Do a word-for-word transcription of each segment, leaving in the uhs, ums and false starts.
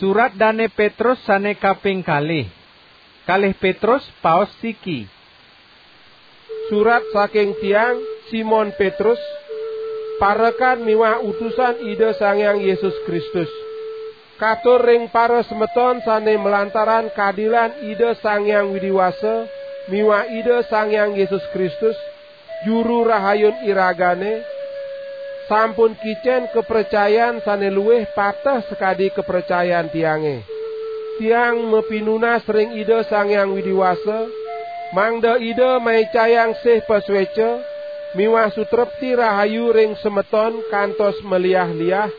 Surat Dane Petrus sane kaping kalih. Kalih Petrus, paos siki. Surat saking tiang, Simon Petrus, parekan miwah utusan Ida Sang Hyang Yesus Kristus. Katur ring para semeton sane malantaran kadilan Ida Sang Hyang Widi Wasa miwah Ida Sang Hyang Yesus Kristus, Juru Rahayun iragane, sampun kicen kapracayan sane luwih pateh sakadi kapracayan tiange. Tiang mapinunas ring Ida Sang Hyang Widi Wasa, mangda Ida maicayang sih pasueca miwah sutrepti rahayu ring semeton kantos maliah-liah,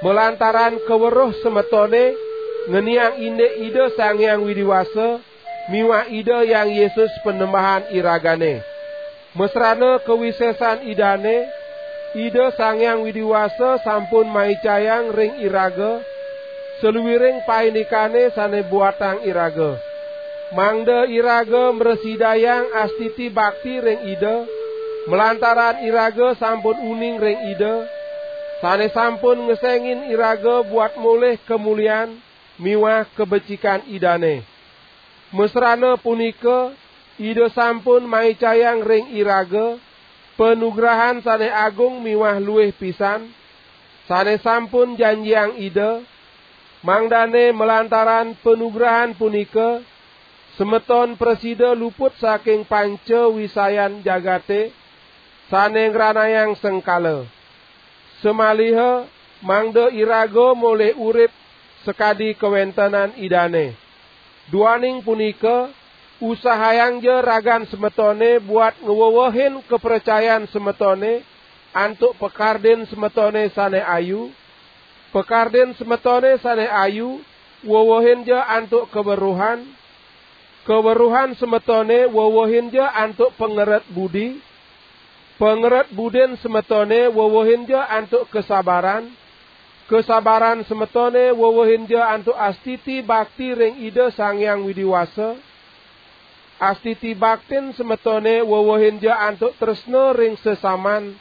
malantaran kaweruh semetone ngeniang indik Ida Sang Hyang Widi Wasa miwah Ida Hyang Yesus Panembahan iragane. Masrana kawisesan Idane, Ida Sang Hyang Widi Wasa sampun maicayang ring iraga saluiring paindikane sane buatang iraga, mangda iraga mrasidayang astiti bakti ring Ida, malantaran iraga sampun uning ring Ida, sane sampun ngesengin iraga buat molih kamulian miwah kabecikan Idane. Masrana punika, Ida sampun maicayang ring iraga panugrahan sane agung miwah luih pisan, sane sampun janjiang Ida, mangdane malantaran panugrahan punika, semeton prasida luput saking panca wisayan jagate sane ngranayang sengkala. Samaliha mangda iraga molih urip sakadi kawentenan Idane. Duaning punika, usahayangja ragan semetone buat ngwewehin kapracayan semetone antuk pakardin semetone sane ayu, pakardin semetone sane ayu wewehinja antuk kaweruhan, kaweruhan semetone wewehinja antuk pangeret budi, pangeret budin semetone wewehinja antuk kasabaran, kasabaran semetone wewehinja antuk astiti bakti ring Ida Sang Hyang Widi Wasa, astiti baktin semetone wewehinja antuk tresna ring sesaman,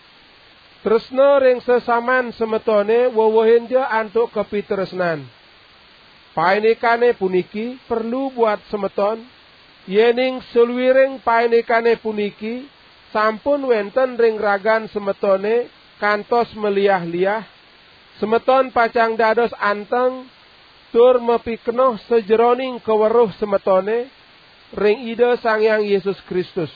tresna ring sesaman semetone wewehinja antuk kapitresnan. Paindikane puniki perlu buat semeton, yening saluiring paindikane puniki sampun wenten ring ragan semetone kantos maliah-liah, semeton pacang dados anteng tur mapikenoh sajeroning kaweruh semetone ring Ida Sang Hyang Yesus Kristus.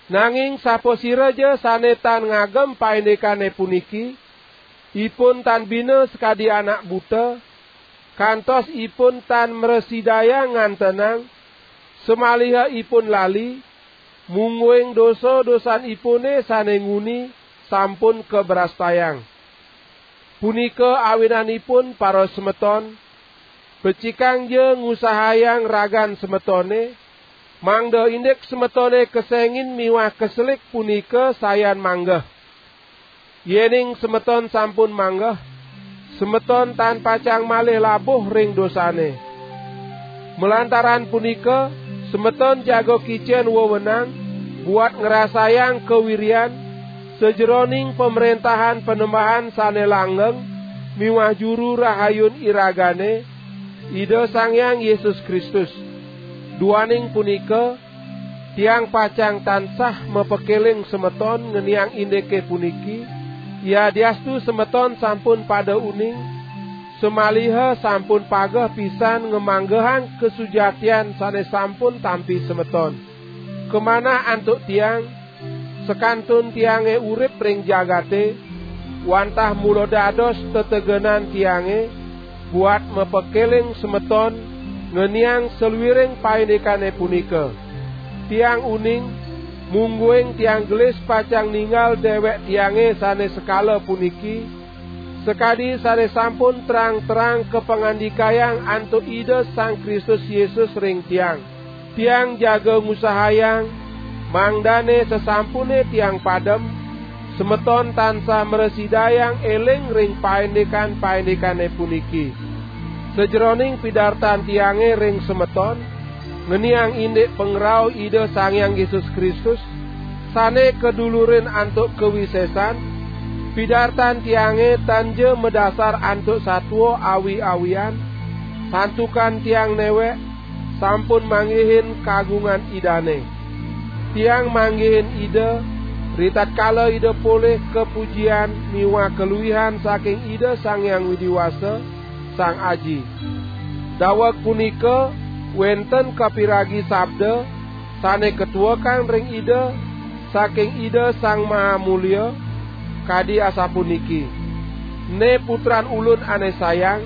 Nanging sapasiraja sane tan ngagem paindikane puniki, ipun tan bina sakadi anak buta, kantos ipun tan mrasidayang ngantenang, samaliha ipun lali, mungguing dosa-dosanipune sane nguni sampun kabrastayang. Punika awinanipun, para semeton, becikangja ngusahayang ragan semetone, mangda indik semetone kesengin miwah keselik punika sayan manggeh. Yening semeton sampun manggeh, semeton tan pacang malih labuh ring dosane. Malantaran punika, semeton jaga kicen wewenang buat ngrasayang kawirian sajeroning Pamrentahan Panembahan sane langgeng miwah Juru Rahayun iragane, Ida Sang Hyang Yesus Kristus. Duaning punika, tiang pacang tansah mapakeling semeton ngeniang indike puniki, yadiastu semeton sampun pada uning, samaliha sampun pageh pisan ngamanggehang kasujatian sane sampun tampi semeton. Kamanah antuk tiang, sakantun tiange urip ring jagate, wantah mula dados tetegenan tiange buat mapakeling semeton ngeniang saluiring paindikane punika. Tiang uning, mungguing tiang gelis pacang ninggal dewek tiange sane sekala puniki, sakadi sane sampun terang-terang kapangandikayang antuk Ida Sang Kristus Yesus ring tiang. Tiang jaga ngusahayang, mangdane sasampune tiang padem, semeton tansah mrasidayang eling ring paindikan-paindikane puniki. Sajeroning pidartan tiange ring semeton, ngeniang indik pangrauh Ida Sang Hyang Yesus Kristus, sane kadulurin antuk kawisesan, pidartan tiange tanja madasar antuk satua awi-awian, Santukan tiang newek sampun manggihin kagungan Idane. Tiang manggihin Ida, ritatkala Ida polih kapujian miwah kaluihan saking Ida Sang Hyang Widi Wasa, Sang Aji. Daweg punika wenten kapiragi sabda sane katuekang ring Ida saking Ida Sang Maha Mulia, kadi asapuniki: "Ne Putran Ulun ane sayang,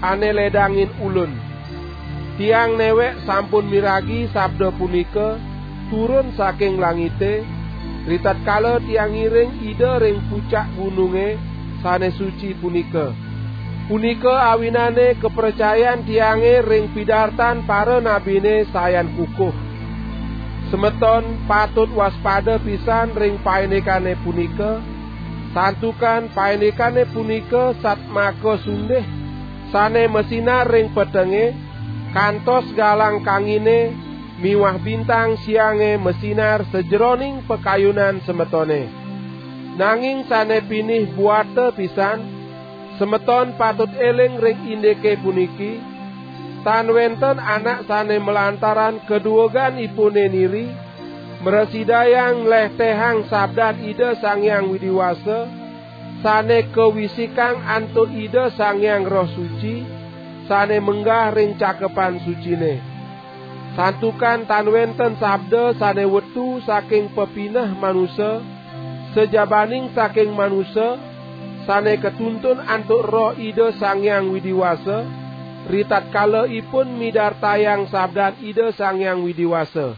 ane ledangin Ulun." Tiang newek sampun miragi sabda punika turun saking langite, ritatkala tiang ngiring Ida ring pucak gununge sane suci punika. Punika awinane kapracayan tiange ring pidartan paranabine sayan kukuh. Semeton patut waspada pisan ring paindikane punika, santukan paindikane punika satmaka sundih, sane masinar ring petenge, kantos galang kangine miwah bintang siange masinar sajeroning pakayunan semetone. Nanging sane pinih buata pisan, semeton patut eling ring indike puniki, tan wenten anak sane malantaran kadueganipune niri, mrasidayang nlehtehang sabdan Ida Sang Hyang Widi Wasa, sane kawisikang antuk Ida Sang Hyang Roh Suci, sane menggah ring cakepan sucine. Santukan tan wenten sabda sane wetu saking pepineh manusa, sajabaning saking manusa, sane katuntun antuk Roh Ida Sang Hyang Widi Wasa, ritatkala ipun midartayang sabdan Ida Sang Hyang Widi Wasa.